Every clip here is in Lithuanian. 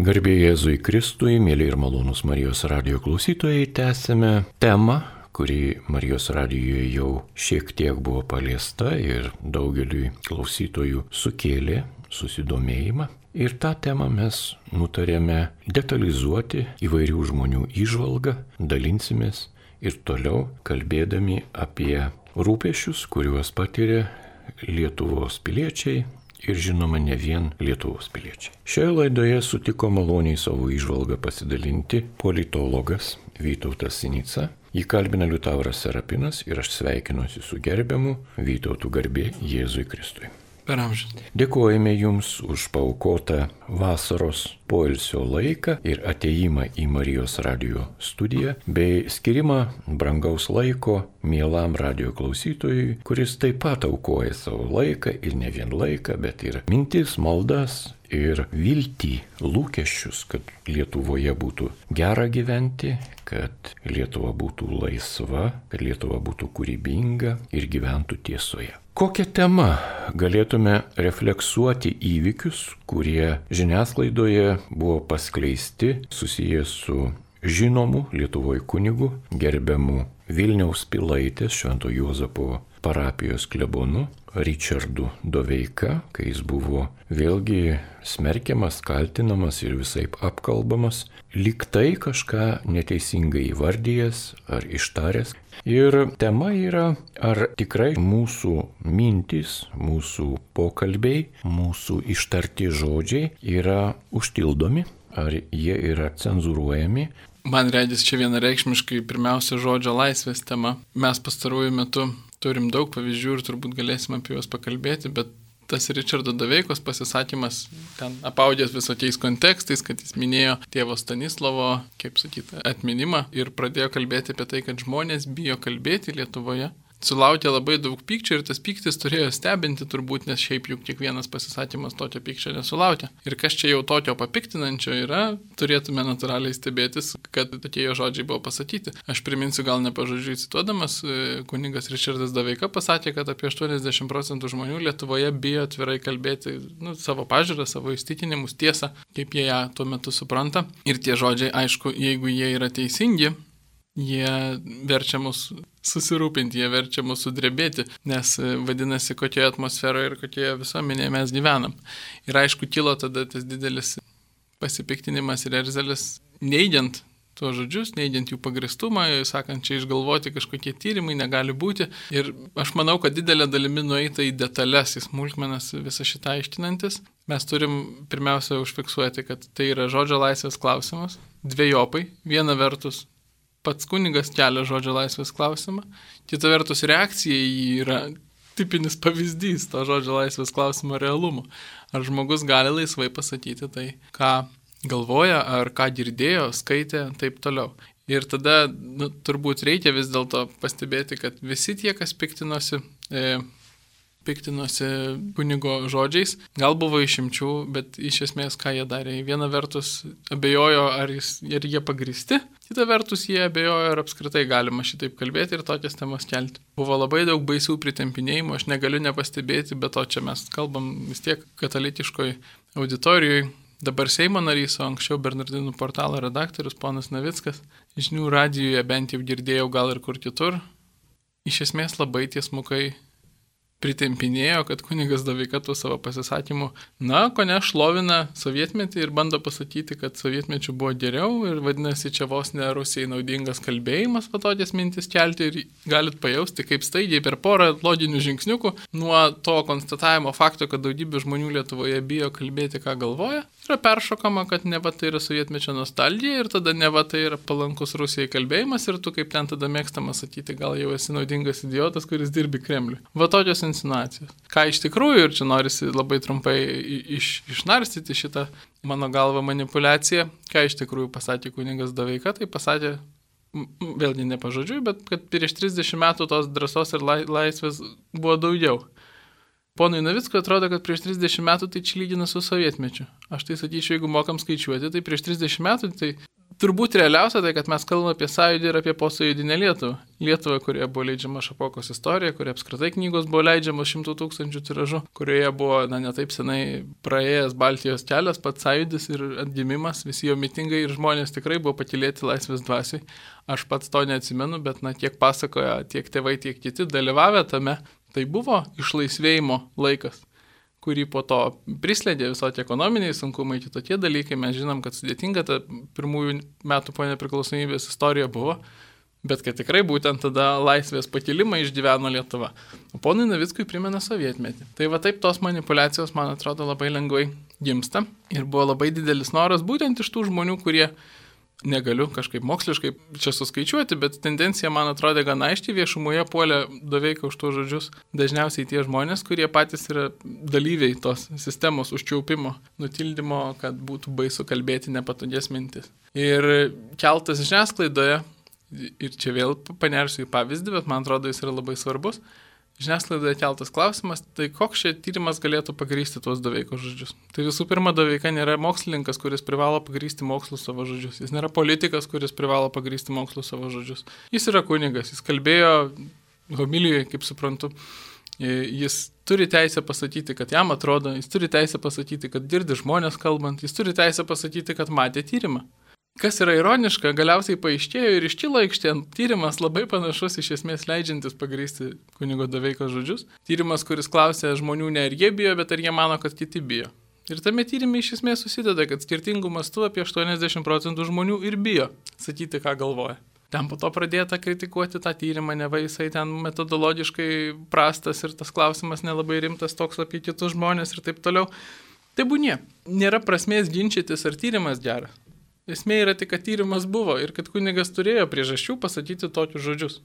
Garbė Jėzui Kristui, mėly ir malonūs Marijos radijo klausytojai, tęsime temą, kuri Marijos radijoje jau šiek tiek buvo paliesta ir daugeliui klausytojų sukėlė susidomėjimą. Ir tą temą mes nutarėme detalizuoti įvairių žmonių įžvalgą, dalinsimės ir toliau kalbėdami apie rūpesčius, kuriuos patiria Lietuvos piliečiai ir žinoma ne vien Lietuvos piliečiai. Šioje laidoje sutiko maloniai savo įžvalgą pasidalinti politologas Vytautas Sinica. Jį kalbina Liutauras Serapinas ir aš sveikinuosi su gerbiamu Vytautu, garbė Jėzui Kristui. Per amžius. Dėkojame Jums už paaukotą vasaros poilsio laiką ir ateimą į Marijos radijo studiją, bei skirimą brangaus laiko mielam radijo klausytojui, kuris taip pat aukoja savo laiką ir ne vien laiką, bet ir mintis, maldas ir viltį, lūkesčius, kad Lietuvoje būtų gera gyventi, kad Lietuva būtų laisva, kad Lietuva būtų kūrybinga ir gyventų tiesoje. Kokią temą galėtume refleksuoti įvykius, kurie žiniasklaidoje buvo paskleisti susijęs su žinomu Lietuvoje kunigu, gerbiamu Vilniaus Pilaitės Švento Juozapo parapijos klebonu Ričardu Doveika, kai jis buvo vėlgi smerkiamas, kaltinamas ir visaip apkalbamas, lyg tai kažką neteisingai įvardyjęs ar ištaręs. Ir tema yra, ar tikrai mūsų mintys, mūsų pokalbiai, mūsų ištarti žodžiai yra užtildomi, ar jie yra cenzūruojami. Man regis čia vienareikšmiškai pirmiausia žodžio laisvės tema. Mes pastaruoju metu turim daug pavyzdžių ir turbūt galėsim apie juos pakalbėti, bet tas Ričardo Doveikos pasisakymas ten apaudęs visokiais kontekstais, kad jis minėjo tėvo Stanislovo, atminimą ir pradėjo kalbėti apie tai, kad žmonės bijo kalbėti Lietuvoje. Sulaukė labai daug pykčio ir tas pyktis turėjo stebinti turbūt, nes šiaip juk kiekvienas pasisakymas tokio pykčio nesulaukia. Ir kas čia jau tokio papiktinančio yra, turėtume natūraliai stebėtis, kad tokie jo žodžiai buvo pasakyti. Aš priminsiu gal nepažodžiui cituodamas, kunigas Ričardas Doveika pasakė, kad apie 80% žmonių Lietuvoje bijo atvirai kalbėti savo pažiūrą, savo įsitikinimus, tiesą, kaip jie ją tuo metu supranta. Ir tie žodžiai, aišku, jeigu jie yra teisingi, jie verčia mus susirūpinti, jie verčia mus sudrebėti, nes vadinasi, kokioje atmosferoje ir kokioje visuomenėje mes gyvenam. Ir aišku, kilo tada tas didelis pasipiktinimas ir erzelis, neigiant tuos žodžius, neigiant jų pagristumą, sakant, čia išgalvoti kažkokie tyrimai negali būti. Ir aš manau, kad didelė dalimi nueita į detalės, į smulkmenas visą šitą aiškinantis. Mes turim pirmiausia užfiksuoti, kad tai yra žodžio laisvės klausimas, dvejopai, viena vertus pats kunigas kelia žodžio laisvės klausimą, kita vertus reakcija į jį yra tipinis pavyzdys to žodžio laisvės klausimo realumo. Ar žmogus gali laisvai pasakyti tai, ką galvoja, ar ką girdėjo, skaitė, taip toliau. Ir tada turbūt reikia vis dėlto pastebėti, kad visi tie, kas piktinosi kunigo žodžiais, gal buvo išimčių, bet iš esmės ką jie darė. Viena vertus abejojo, ar jie pagristi, kita vertus jie abejojo, ar apskritai galima šitaip kalbėti ir tokias temas kelti. Buvo labai daug baisių pritempinėjimų, aš negaliu nepastebėti, bet to čia mes kalbam vis tiek katalikiškoj auditorijoje. Dabar Seimo narys, o anksčiau Bernardinų portalo redaktorius ponas Navickas, žinių radijoje bent jau girdėjau gal ir kur kitur, iš esmės labai tiesmukai pritempinėjo, kad kunigas Doveika tų savo pasisakymų, kone šlovina sovietmetį ir bando pasakyti, kad sovietmečių buvo geriau ir vadinasi, čia vos ne Rusijai naudingas kalbėjimas, tokias mintis kelti ir galit pajausti, kaip staigiai per porą loginių žingsniukų nuo to konstatavimo fakto, kad daugybė žmonių Lietuvoje bijo kalbėti, ką galvoja, yra peršokama, kad neva tai yra sovietmečio nostalgija ir tada neva tai yra palankus Rusijai kalbėjimas ir tu kaip ten tada mėgstama sakyti, gal jau esi naudingas idiotas, kuris dirbi Kremliui. Va tokios insinuacijos. Ką iš tikrųjų, ir čia norisi labai trumpai išnarstyti šitą mano galvą manipulaciją, ką iš tikrųjų pasakė kunigas Doveika, tai pasakė, vėlgi ne pažodžiui, bet kad prieš 30 metų tos drąsos ir laisvės buvo daugiau. Ponui Navickui atrodo, kad prieš 30 metų tai čia lygina su sovietmečiu. Aš tai sakyčiau, jeigu mokam skaičiuoti, tai prieš 30 metų tai Turbūt realiausia tai, kad mes kalbame apie sąjūdį ir apie posąjūdinę Lietuvą. Lietuvą, kurioje buvo leidžiama Šapokos istorija, kurioje apskritai knygos buvo leidžiamos 100 000 tiražu, kurioje buvo, netaip senai praėjęs Baltijos kelias, pats sąjūdis ir atgimimas, visi jo mitingai ir žmonės tikrai buvo patylėti laisvės dvasiai. Aš pats to neatsimenu, bet tiek pasakoja, tiek tėvai, tiek kiti dalyvavę tame. Tai buvo išlaisvėjimo laikas, kurį po to prislėdė visokie ekonominiai sunkumai, kitokie dalykai. Mes žinom, kad sudėtinga ta pirmųjų metų po nepriklausomybės istorija buvo, bet kad tikrai būtent tada laisvės pakilimą išgyveno Lietuva. O ponui Navickui primena sovietmetį. Tai va taip tos manipulacijos, man atrodo, labai lengvai gimsta ir buvo labai didelis noras būtent iš tų žmonių, kurie negaliu kažkaip moksliškai čia suskaičiuoti, bet tendencija, man atrodė, gana aiškiai viešumoje puolė Doveiką už tuos žodžius. Dažniausiai tie žmonės, kurie patys yra dalyviai tos sistemos užčiaupimo, nutildymo, kad būtų baisu kalbėti nepatogias mintis. Ir keltas žiniasklaidoje, ir čia vėl panersiu į pavyzdį, bet man atrodo, jis yra labai svarbus. Žiniasklaidoje keltas klausimas, tai koks čia tyrimas galėtų pagrįsti tuos Doveikos žodžius. Tai visų pirma, Doveika nėra mokslininkas, kuris privalo pagrįsti mokslu savo žodžius. Jis nėra politikas, kuris privalo pagrįsti mokslu savo žodžius. Jis yra kunigas, jis kalbėjo homilijoje, kaip suprantu. Jis turi teisę pasakyti, kad jam atrodo, jis turi teisę pasakyti, kad girdi žmonės kalbant, jis turi teisę pasakyti, kad matė tyrimą. Kas yra ironiška, galiausiai paaiškėjo ir iškilo aikštėn tyrimas labai panašus, iš esmės leidžiantis pagrįsti kunigo Doveikos žodžius. Tyrimas, kuris klausė žmonių ne ar jie bijo, bet ar jie mano, kad kiti bijo. Ir tame tyrimė iš esmės susideda, kad skirtingų mastų apie 80% žmonių ir bijo sakyti, ką galvoja. Ten po to pradėta kritikuoti tą tyrimą, neva jisai ten metodologiškai prastas ir tas klausimas nelabai rimtas toks apie kitus žmonės ir taip toliau. Tai būnie, nėra prasmės ginčytis, ar tyrimas geras. Esmė yra tik, kad tyrimas buvo ir kad kunigas turėjo priežasčių pasakyti tokius žodžius.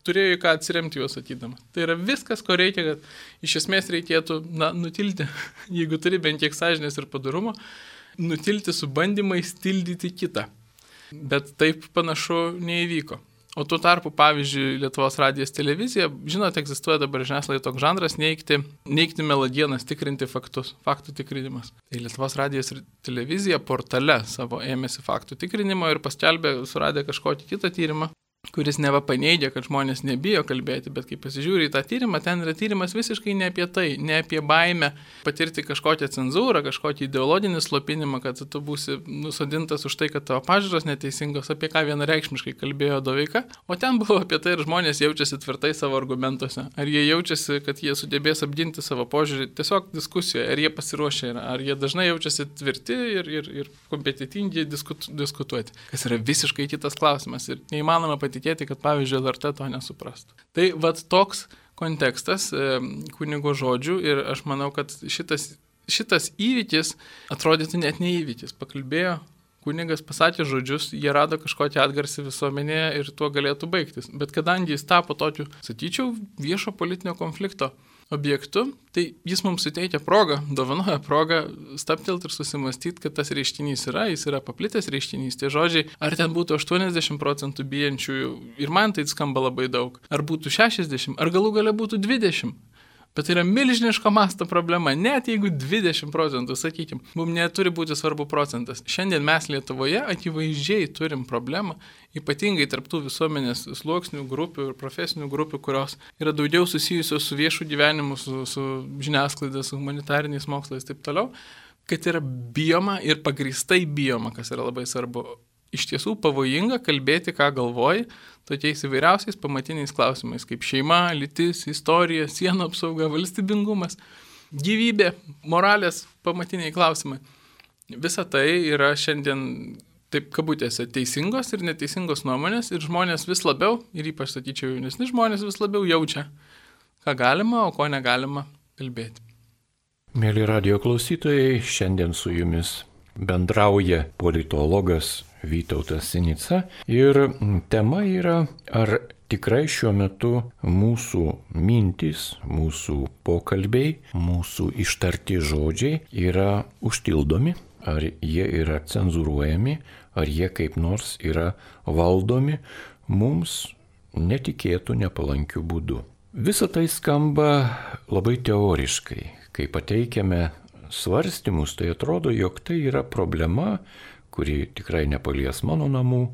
Turėjo į ką atsiremti juos sakydamas. Tai yra viskas, ko reikia, kad iš esmės reikėtų nutilti, jeigu turi bent kiek sąžinės ir padorumo, nutilti su bandymais tildyti kitą. Bet taip panašu neįvyko. O tuo tarpu, pavyzdžiui, Lietuvos radijas televizija, žinote, egzistuoja dabar žiniasklaidoje toks žanras neigti melagienas, tikrinti faktus, faktų tikrinimas. Tai Lietuvos radijas ir televizija portale savo ėmėsi faktų tikrinimo ir paskelbė, suradę kažkokį kitą tyrimą, kuris neva paneigia, kad žmonės nebijo kalbėti, bet kai pasižiūri į tą tyrimą, ten yra tyrimas visiškai ne apie tai, ne apie baimę patirti kažkokią cenzūrą, kažkokį ideologinį slopinimą, kad tu būsi nusodintas už tai, kad tavo pažiūros neteisingos, apie ką vienareikšmiškai kalbėjo Doveika, o ten buvo apie tai, ar žmonės jaučiasi tvirtai savo argumentuose, ar jie jaučiasi, kad jie sugebės apginti savo požiūrį tiesiog diskusijoje, ar jie pasiruošę yra, ar jie dažnai jaučiasi tvirti ir kompetitingi diskutuoti, kas yra visiškai kitas klausimas ir neįmanoma patikėti, kad, pavyzdžiui, LRT to nesuprastų. Tai vat toks kontekstas kunigo žodžių ir aš manau, kad šitas įvykis atrodytų net ne įvykis. Pakalbėjo, kunigas pasakė žodžius, jie rado kažkokį atgarsį visuomenėje ir tuo galėtų baigtis. Bet kadangi jis tapo tokiu, sakyčiau, viešo politinio konflikto objektu, tai jis mums suteikia progą, dovanoja progą stabtelti ir susimastyti, kad tas reiškinys jis yra paplitęs reiškinys. Tie žodžiai, ar ten būtų 80% bijančiųjų, ir man tai skamba labai daug, ar būtų 60, ar galų gale būtų 20. Bet tai yra milžiniško masto problema, net jeigu 20%, sakykime, mums neturi būti svarbu procentas. Šiandien mes Lietuvoje akivaizdžiai turim problemą, ypatingai tarptų visuomenės sluoksnių grupių ir profesinių grupių, kurios yra daugiau susijusios su viešu gyvenimu, su žiniasklaida, su humanitariniais mokslais ir taip toliau, kad yra bijoma ir pagrįstai bijoma, kas yra labai svarbu. Iš tiesų pavojinga kalbėti, ką galvoji, tokiais įvairiausiais pamatiniais klausimais, kaip šeima, lytis, istorija, sienų apsauga, valstybingumas, gyvybė, moralės pamatiniai klausimai. Visa tai yra šiandien, taip kabutėse, teisingos ir neteisingos nuomonės ir žmonės vis labiau, ir ypač, sakyčiau, jaunesni žmonės vis labiau jaučia, ką galima, o ko negalima kalbėti. Mėly radijo klausytojai, šiandien su jumis bendrauja politologas Vytautas Sinica ir tema yra, ar tikrai šiuo metu mūsų mintys, mūsų pokalbiai, mūsų ištarti žodžiai yra užtildomi, ar jie yra cenzūruojami, ar jie kaip nors yra valdomi mums netikėtų, nepalankių būdų. Visa tai skamba labai teoriškai. Kai pateikiame svarstymus, tai atrodo, jog tai yra problema, kuri tikrai nepalies mano namų,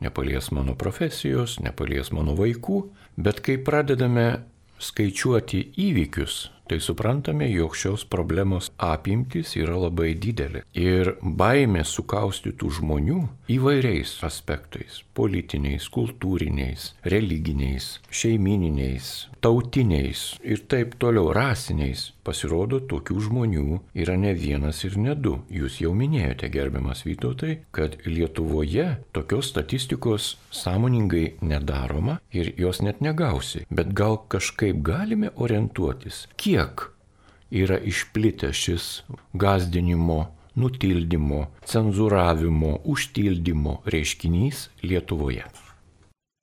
nepalies mano profesijos, nepalies mano vaikų, bet kai pradedame skaičiuoti įvykius, tai suprantame, jog šios problemos apimtis yra labai didelė. Ir baimė sukaustytų žmonių įvairiais aspektais - politiniais, kultūriniais, religiniais, šeimininiais, tautiniais ir taip toliau, rasiniais. Pasirodo, tokių žmonių yra ne vienas ir ne du. Jūs jau minėjote, gerbiamas Vytautai, kad Lietuvoje tokios statistikos sąmoningai nedaroma ir jos net negausi. Bet gal kažkaip galime orientuotis, kiek yra išplitęs šis gąsdinimo, nutildymo, cenzūravimo, užtildymo reiškinys Lietuvoje.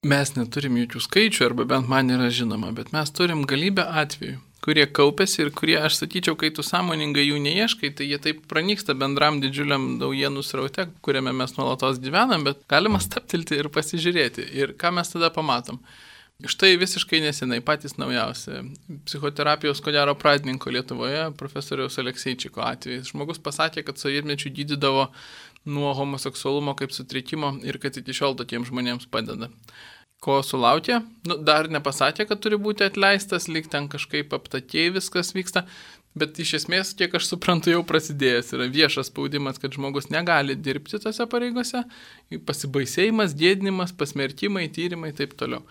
Mes neturim jokių skaičių, arba bent man yra žinoma, bet mes turim galybę atvejų, kurie kaupėsi ir kurie, aš sakyčiau, kai tu sąmoningai jų neieškai, tai jie taip pranyksta bendram didžiuliam naujienų sraute, kuriame mes nuolatos gyvenam, bet galima staptilti ir pasižiūrėti. Ir ką mes tada pamatom? Štai visiškai nesenai patys naujausi psichoterapijos ko gero pradininko Lietuvoje, profesoriaus Alekseičiko atvejais. Žmogus pasakė, kad sovietmečiu gydydavo nuo homoseksualumo kaip sutrikimo ir kad iki šiol tokiems žmonėms padeda. Ko sulaukė? Dar nepasakė, kad turi būti atleistas, lyg ten kažkaip aptakiai viskas vyksta, bet iš esmės, kiek aš suprantu, jau prasidėjęs yra viešas spaudimas, kad žmogus negali dirbti tose pareigose, pasibaisėjimas, gėdinimas, pasmerkimai, tyrimai ir taip toliau.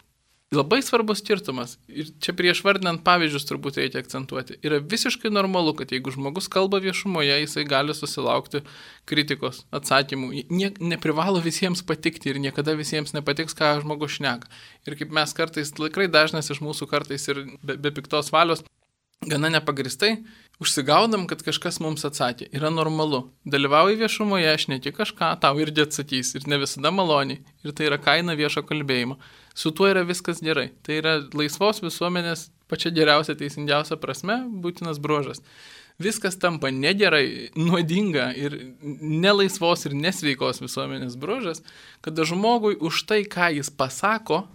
Labai svarbus skirtumas, ir čia prieš vardinant pavyzdžius turbūt reikia akcentuoti, yra visiškai normalu, kad jeigu žmogus kalba viešumoje, jisai gali susilaukti kritikos, atsakymų. Neprivalo visiems patikti ir niekada visiems nepatiks, ką žmogus šneka. Ir kaip mes kartais, tikrai dažnas iš mūsų kartais ir be piktos valios, gana nepagristai, užsigaudam, kad kažkas mums atsakė. Yra normalu. Dalyvauji viešumoje, šneki kažką, tau irgi atsakys. Ir ne visada maloniai. Ir tai yra kaina viešo kalbėjimo. Su tuo yra viskas gerai. Tai yra laisvos visuomenės pačia geriausia, teisingiausia prasme būtinas bruožas. Viskas tampa negerai, nuodinga ir nelaisvos ir nesveikos visuomenės bruožas, kada žmogui už tai, ką jis pasako,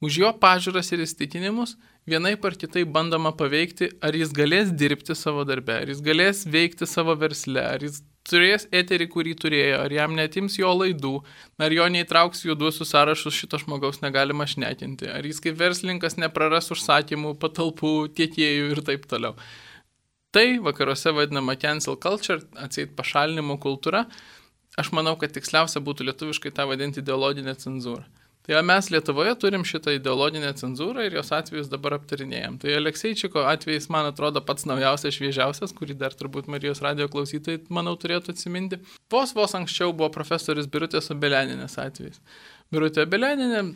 už jo pažiūras ir įsitikinimus, vienaip ar kitaip bandoma paveikti, ar jis galės dirbti savo darbe, ar jis galės veikti savo versle, ar jis turės eterį, kurį turėjo, ar jam netims jo laidų, ar jo neįtrauks juoduosius sąrašus, šito žmogaus negalima šnekinti, ar jis kaip verslininkas nepraras užsakymų, patalpų, tiekėjų ir taip toliau. Tai vakaruose vadinama cancel culture, atseit pašalinimo kultūra. Aš manau, kad tiksliausia būtų lietuviškai tą vadinti ideologinę cenzūrą. Tai mes Lietuvoje turim šitą ideologinę cenzūrą ir jos atvejus dabar aptarinėjom. Tai Alekseičiko atvejis, man atrodo, pats naujausias, šviežiausias, kurį dar turbūt Marijos radijo klausytojai, manau, turėtų atsiminti. Vos anksčiau buvo profesorius Birutės Obeleninės atvejis. Birutė Obeleninė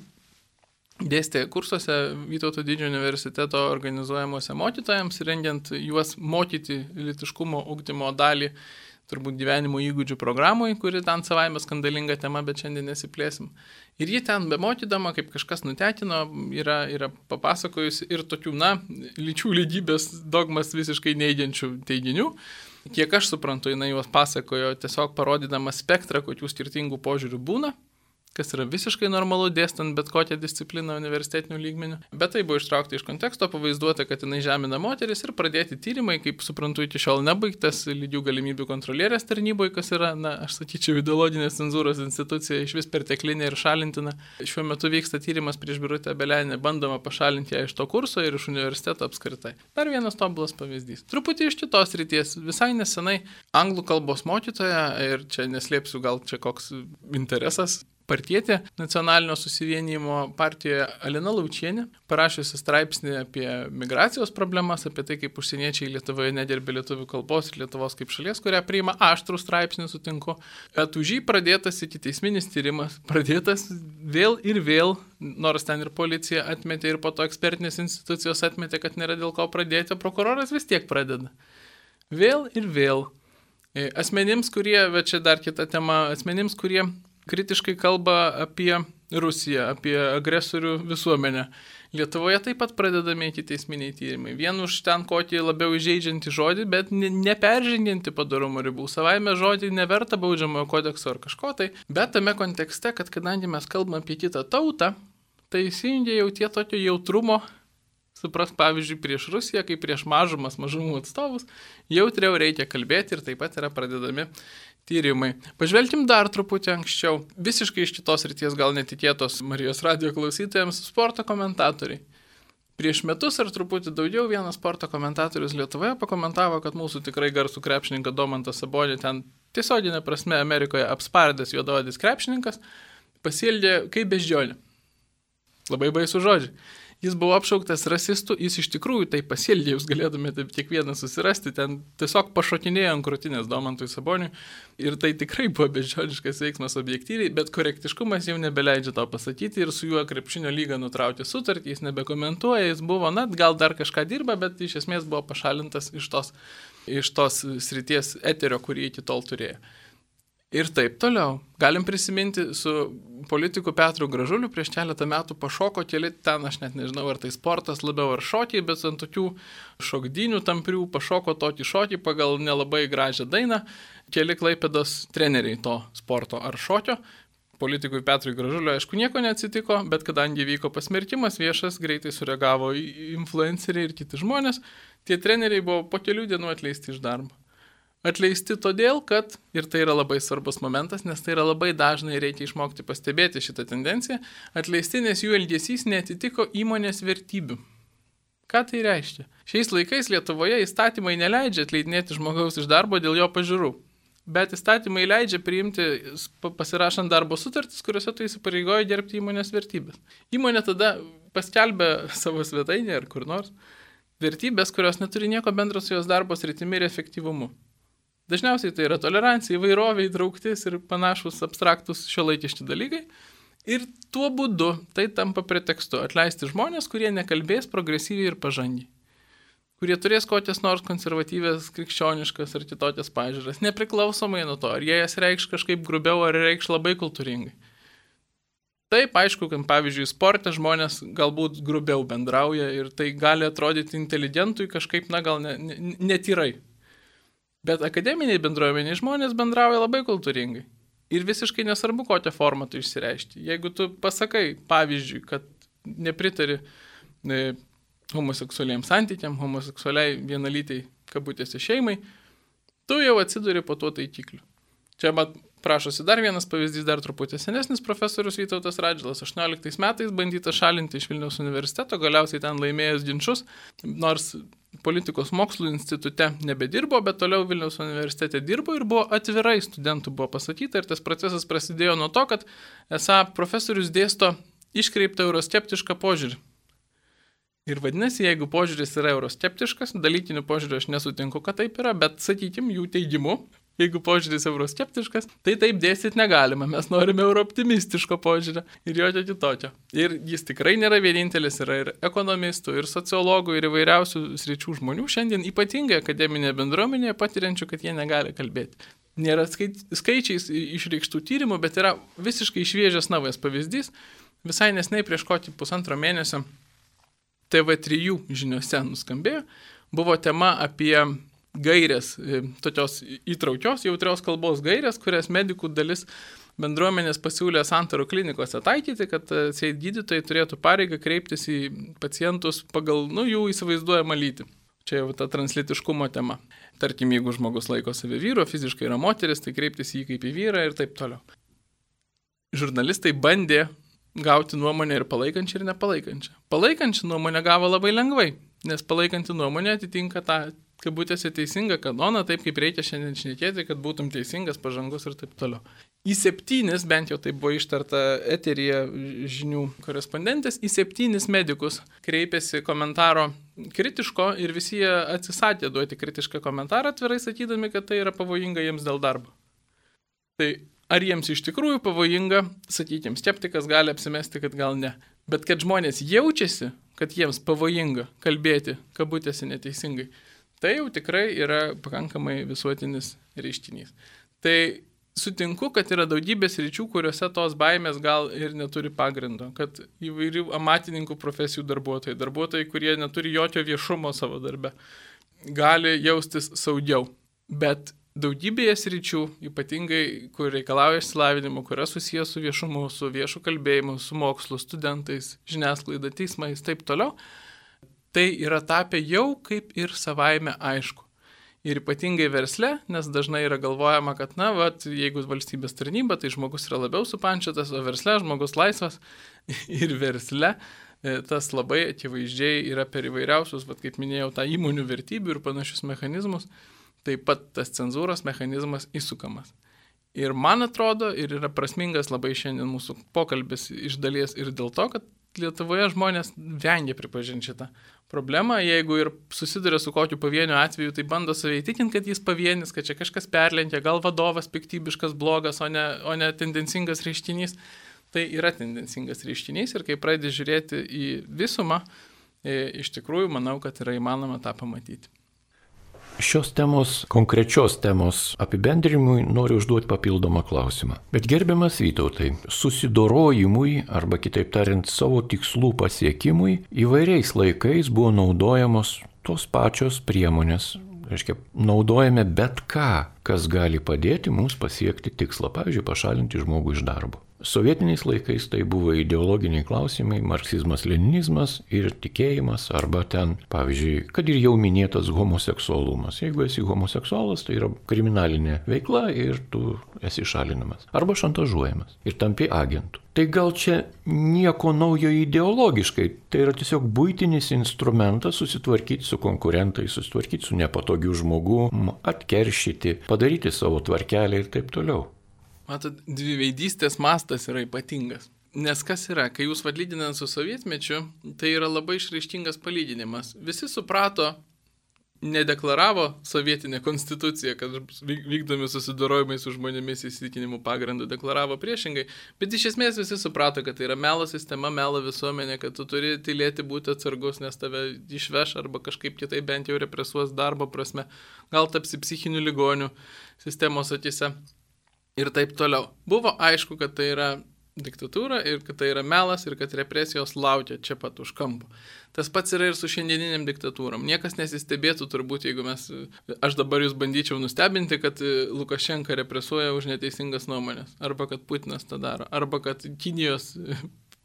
dėstė kursuose Vytauto Didžiojo universiteto organizuojamuose mokytojams, rengiant juos mokyti lytiškumo ugdymo dalį, turbūt gyvenimo įgūdžių programui, kuri ten savaime skandalinga tema, bet šiandien nesiplėsim. Ir ji ten bemokydama, kaip kažkas nutekino, yra papasakojusi ir tokių, lyčių lygybės dogmas visiškai neigiančių teiginių. Kiek aš suprantu, jinai juos pasakojo tiesiog parodydama spektrą, kokių skirtingų požiūrių būna, kas yra visiškai normalu dėstant bet kokią discipliną universitetinių lygmenių. Bet tai buvo ištraukta iš konteksto, pavaizduota, kad jinai žemina moteris ir pradėti tyrimai, kaip suprantu, iki šiol nebaigtas lygių galimybių kontrolierės tarnyboje, kas yra, aš sakyčiau, ideologinės cenzūros institucija, iš vis perteklinė ir šalintina. Šiuo metu vyksta tyrimas prieš Birutę Obeleninę, bandoma pašalinti ją iš to kurso ir iš universiteto apskritai. Dar vienas tobulas pavyzdys. Truputį iš kitos ryties. Visai nesenai anglų kalbos mokytoja, ir čia neslėpsiu, gal čia koks interesas, partietė Nacionalinio susivienijimo partijoje Alina Laučienė, parašiusi straipsnį apie migracijos problemas, apie tai, kaip užsieniečiai Lietuvoje negerbė lietuvių kalbos ir Lietuvos kaip šalies, kurią priima aštrų straipsnį, sutinku. Už jį pradėtas ikiteisminis tyrimas, pradėtas vėl ir vėl, nors ten ir policija atmetė ir po to ekspertinės institucijos atmetė, kad nėra dėl ko pradėti, prokuroras vis tiek pradeda. Vėl ir vėl. Asmenims, kurie, bet čia dar kita tema, asmenims, kurie kritiškai kalba apie Rusiją, apie agresorių visuomenę. Lietuvoje taip pat pradedami ikiteisminiai tyrimai. Vien už ten kokį labiau įžeidžiantį žodį, bet neperžengiantį padorumo ribų. Savaime žodį neverta baudžiamojo kodekso ar kažko tai. Bet tame kontekste, kad kadangi mes kalbame apie kitą tautą, tai įsijungia jau tie tokio jautrumo, supras, pavyzdžiui, prieš Rusiją, kaip prieš mažumų atstovus, jautriau reikia kalbėti ir taip pat yra pradedami tyrimai. Pažvelkim dar truputį anksčiau. Visiškai iš kitos ryties, gal netikėtos Marijos radijo klausytojams, sporto komentatoriai. Prieš metus ar truputį daugiau vienas sporto komentatorius Lietuvoje pakomentavo, kad mūsų tikrai garsų krepšininką Domantą Sabonį, ten tiesioginė prasme Amerikoje apspardęs juodaodis krepšininkas, pasielgė kaip beždžionė. Labai baisų žodžiai. Jis buvo apšauktas rasistų, jis iš tikrųjų tai pasielgė, jūs galėtumėte kiekvieną susirasti, ten tiesiog pašokinėjo ant krūtinės Domantui Saboniui ir tai tikrai buvo beždžioniškas veiksmas objektyviai, bet korektiškumas jau nebeleidžia to pasakyti ir su juo krepšinio lyga nutraukė sutartį, jis nebekomentuoja, jis buvo, gal dar kažką dirba, bet iš esmės buvo pašalintas iš tos srities eterio, kurį iki tol turėjo. Ir taip toliau. Galim prisiminti su politiku Petru Gražuliu prieš keletą metų pašoko keli ten, aš net nežinau, ar tai sportas labiau ar šokiai, bet ant tokių šokdynių tamprių pašoko tokį šokį pagal nelabai gražią dainą. Keli Klaipėdos treneriai to sporto ar šokio. Politikui Petrui Gražuliu, aišku, nieko neatsitiko, bet kadangi vyko pasmerkimas viešas, greitai sureagavo influenceriai ir kiti žmonės, tie treneriai buvo po kelių dienų atleisti iš darbo. Atleisti todėl, kad, ir tai yra labai svarbus momentas, nes tai yra labai dažnai reikia išmokti pastebėti šitą tendenciją, atleisti, nes jų elgesys neatitiko įmonės vertybių. Ką tai reiškia? Šiais laikais Lietuvoje įstatymai neleidžia atleidinėti žmogaus iš darbo dėl jo pažiūrų, bet įstatymai leidžia priimti, pasirašant darbo sutartis, kuriuose tu įsipareigoji gerbti įmonės vertybės. Įmonė tada paskelbia savo svetainę ar kur nors vertybės, kurios neturi nieko bendro su jos darbo sritimi ir efektyvumu. Dažniausiai tai yra tolerancija, įvairovė, įtrauktis ir panašus abstraktus šiuolaikiški dalykai. Ir tuo būdu tai tampa pretekstu atleisti žmonės, kurie nekalbės progresyviai ir pažangiai. Kurie turės kokias nors konservatyvės, krikščioniškas ar kitokias pažiūras, nepriklausomai nuo to, ar jie jas reikš kažkaip grubiau ar reikš labai kultūringai. Taip, aišku, kad pavyzdžiui sporte žmonės galbūt grubiau bendrauja ir tai gali atrodyti inteligentui kažkaip, gal netyrai. Bet akademiniai bendruomeniai žmonės bendrauja labai kultūringai. Ir visiškai nesvarbu, kokią formą tu išsireiški. Jeigu tu pasakai, pavyzdžiui, kad nepritari homoseksualiems santykiam, homoseksualiai vienalytei kabutėse šeimai, tu jau atsiduri po tuo taikikliu. Čia prašosi dar vienas pavyzdys, dar truputį senesnis profesorius Vytautas Radžvilas 18 metais bandyta šalinti iš Vilniaus universiteto, galiausiai ten laimėjęs ginčus, nors politikos mokslų institute nebedirbo, bet toliau Vilniaus universitete dirbo ir buvo atvirai studentų buvo pasakyta ir tas procesas prasidėjo nuo to, kad esą profesorius dėsto iškreiptą euroskeptišką požiūrį. Ir vadinasi, jeigu požiūris yra euroskeptiškas, dalykinių požiūrių aš nesutinku, kad taip yra, bet sakykim jų teigimu, jeigu požiūris euroskeptiškas, tai taip dėstyti negalima, mes norime eurooptimistiško požiūrio ir jokio kitokio. Ir jis tikrai nėra vienintelis, yra ir ekonomistų, ir sociologų, ir įvairiausių sričių žmonių, šiandien ypatingai akademinėje bendruomenėje patiriančių, kad jie negali kalbėti. Nėra skaičiais išreikštų tyrimų, bet yra visiškai šviežias naujas pavyzdys. Visai nesnei prieš kokį 1,5 mėnesio TV3 žiniose nuskambėjo, buvo tema apie gairės, tokios įtraukios, jautrios kalbos gairės, kurias medikų dalis bendruomenės pasiūlė Santarų klinikose taikyti, kad gydytojai turėtų pareigą kreiptis į pacientus pagal jų įsivaizduojamą lytį. Čia jau ta translytiškumo tema. Tarkim, jeigu žmogus laiko save vyru, fiziškai yra moteris, tai kreiptis į jį kaip į vyrą ir taip toliau. Žurnalistai bandė gauti nuomonę ir palaikančią ir nepalaikančią. Palaikančią nuomonę gavo labai lengvai, nes palaikanti nuomonė atitinka tą kabutėse teisingą kanoną, taip kaip reikia šiandien šnekėti, kad būtum teisingas, pažangus ir taip toliau. Į 7, bent jau tai buvo ištarta eteryje žinių korespondentės, į 7 medikus kreipėsi komentaro kritiško ir visi jie atsisakė duoti kritišką komentarą, atvirai sakydami, kad tai yra pavojinga jiems dėl darbo. Tai ar jiems iš tikrųjų pavojinga, sakykime, skeptikas gali apsimesti, kad gal ne. Bet kad žmonės jaučiasi, kad jiems pavojinga kalbėti kabutėse neteisingai, tai jau tikrai yra pakankamai visuotinis reiškinys. Tai sutinku, kad yra daugybės ryčių, kuriuose tos baimės gal ir neturi pagrindo, kad įvairių amatininkų profesijų darbuotojai, kurie neturi jokio viešumo savo darbe, gali jaustis saugiau. Bet daugybėje sričių, ypatingai, kur reikalauja išsilavinimo, kur yra susijęs su viešumu, su viešu kalbėjimu, su mokslu, studentais, žiniasklaida, teismais, taip toliau, tai yra tapę jau kaip ir savaime aišku. Ir ypatingai versle, nes dažnai yra galvojama, kad, jeigu valstybės tarnyba, tai žmogus yra labiau supančiotas, o versle žmogus laisvas. Ir versle tas labai akivaizdžiai yra per įvairiausius, kaip minėjau, tą įmonių vertybių ir panašius mechanizmus, taip pat tas cenzūros mechanizmas įsukamas. Ir man atrodo, ir yra prasmingas labai šiandien mūsų pokalbis iš dalies ir dėl to, kad Lietuvoje žmonės vengia pripažinti šitą problemą. Jeigu ir susiduria su kokiu pavieniu atveju, tai bando save įtikinti, kad jis pavienis, kad čia kažkas perlenkia, gal vadovas piktybiškas, blogas, o ne tendencingas reiškinys. Tai yra tendencingas reiškinys ir kai pradedi žiūrėti į visumą, iš tikrųjų manau, kad yra įmanoma tą pamatyti. Šios temos, konkrečios temos apibendrinimui noriu užduoti papildomą klausimą. Bet gerbiamas Vytautai, susidorojimui arba kitaip tariant savo tikslų pasiekimui įvairiais laikais buvo naudojamos tos pačios priemonės. Reiškia, naudojame bet ką, kas gali padėti mums pasiekti tikslą, pavyzdžiui, pašalinti žmogų iš darbo. Sovietiniais laikais tai buvo ideologiniai klausimai, marksizmas, leninizmas ir tikėjimas, arba ten, pavyzdžiui, kad ir jau minėtas homoseksualumas. Jeigu esi homoseksualas, tai yra kriminalinė veikla ir tu esi šalinamas. Arba šantažuojamas ir tampi agentu. Tai gal čia nieko naujo ideologiškai, tai yra tiesiog buitinis instrumentas susitvarkyti su konkurentais, susitvarkyti su nepatogiu žmogum, atkeršyti, padaryti savo tvarkelę ir taip toliau. Matot, dviveidystės mastas yra ypatingas. Nes kas yra, kai jūs lyginant su sovietmečiu, tai yra labai išraiškingas palyginimas. Visi suprato, nedeklaravo sovietinę konstituciją, kad vykdomi susidorojimai su žmonėmis įsitikinimų pagrindų, deklaravo priešingai, bet iš esmės visi suprato, kad tai yra melo sistema, melo visuomenė, kad tu turi tylėti, būti atsargus, nes tave išveš arba kažkaip kitaip bent jau represuos darbo prasme, gal tapsi psichinių ligonių sistemos akise. Ir taip toliau. Buvo aišku, kad tai yra diktatūra ir kad tai yra melas ir kad represijos laukia čia pat už kampo. Tas pats yra ir su šiandieniniam diktatūram. Niekas nesistebėtų turbūt, jeigu aš dabar jūs bandyčiau nustebinti, kad Lukašenka represuoja už neteisingas nuomonės. Arba kad Putinas tą daro. Arba kad Kinijos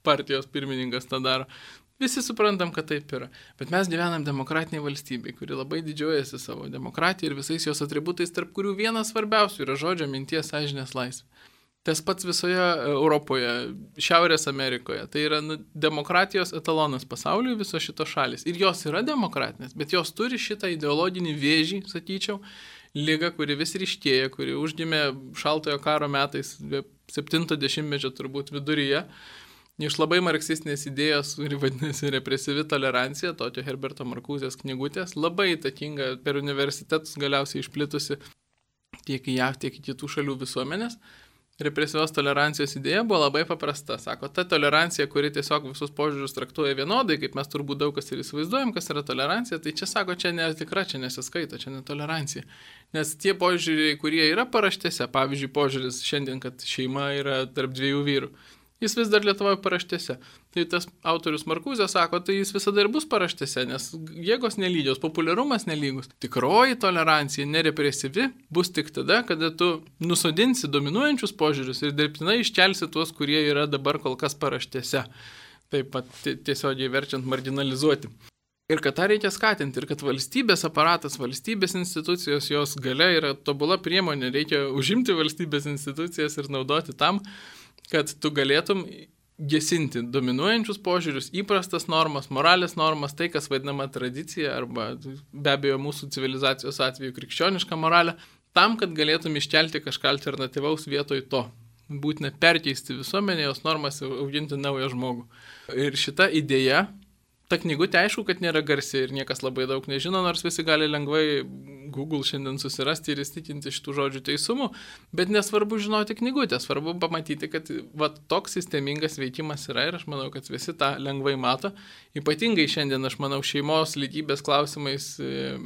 partijos pirmininkas tą daro. Visi suprantam, kad taip yra. Bet mes gyvenam demokratiniai valstybei, kuri labai didžiuojasi savo demokratiją ir visais jos atributais, tarp kurių vienas svarbiausių yra žodžio, minties, sąžinės laisvė. Tas pats visoje Europoje, Šiaurės Amerikoje. Tai yra demokratijos etalonas pasauliui visos šitos šalis. Ir jos yra demokratinės, bet jos turi šitą ideologinį vėžį, sakyčiau, ligą, kuri vis ryškėja, kuri užgimė šaltojo karo metais, 70-mečio turbūt viduryje. Iš labai marksistinės idėjos, kuri vadinasi represyvi tolerancija, tokio Herberto Markuzės knygutės, labai įtakinga per universitetus galiausiai išplitusi tiek į JAV, tiek į kitų šalių visuomenės. Represyvios tolerancijos idėja buvo labai paprasta. Sako, ta tolerancija, kuri tiesiog visus požiūrius traktuoja vienodai, kaip mes turbūt daug kas ir įsivaizduojam, kas yra tolerancija, tai čia sako, čia netikra, čia nesiskaito, čia netolerancija. Nes tie požiūriai, kurie yra paraštėse, pavyzdžiui, požiūris šiandien, kad šeima yra tarp dviejų vyrų, jis vis dar Lietuvoje paraštėse. Tai tas autorius Markuzė sako, tai jis visada ir bus paraštėse, nes jėgos nelygios, populiarumas nelygus. Tikroji tolerancija, nerepresyvi, bus tik tada, kada tu nusodinsi dominuojančius požiūrius ir dirbtinai iškelsi tuos, kurie yra dabar kol kas paraštėse. Taip pat tiesiogiai verčiant marginalizuoti. Ir kad tą reikia skatinti, ir kad valstybės aparatas, valstybės institucijos, jos galia yra tobula priemonė, reikia užimti valstybės institucijas ir naudoti tam, kad tu galėtum gesinti dominuojančius požiūrius, įprastas normas, moralės normas, tai, kas vadinama tradicija, arba be abejo mūsų civilizacijos atveju krikščioniška moralė, tam, kad galėtum iškelti kažką alternatyvaus vietoj to. Būtina perkeisti visuomenę, jos normas, auginti naują žmogų. Ir šita idėja, ta knygutė aišku, kad nėra garsi ir niekas labai daug nežino, nors visi gali lengvai Google šiandien susirasti ir įstikinti šitų žodžių teisumų, bet nesvarbu žinoti knygutę, svarbu pamatyti, kad toks sistemingas veikimas yra ir aš manau, kad visi tą lengvai mato. Ypatingai šiandien, aš manau, šeimos lygybės klausimais,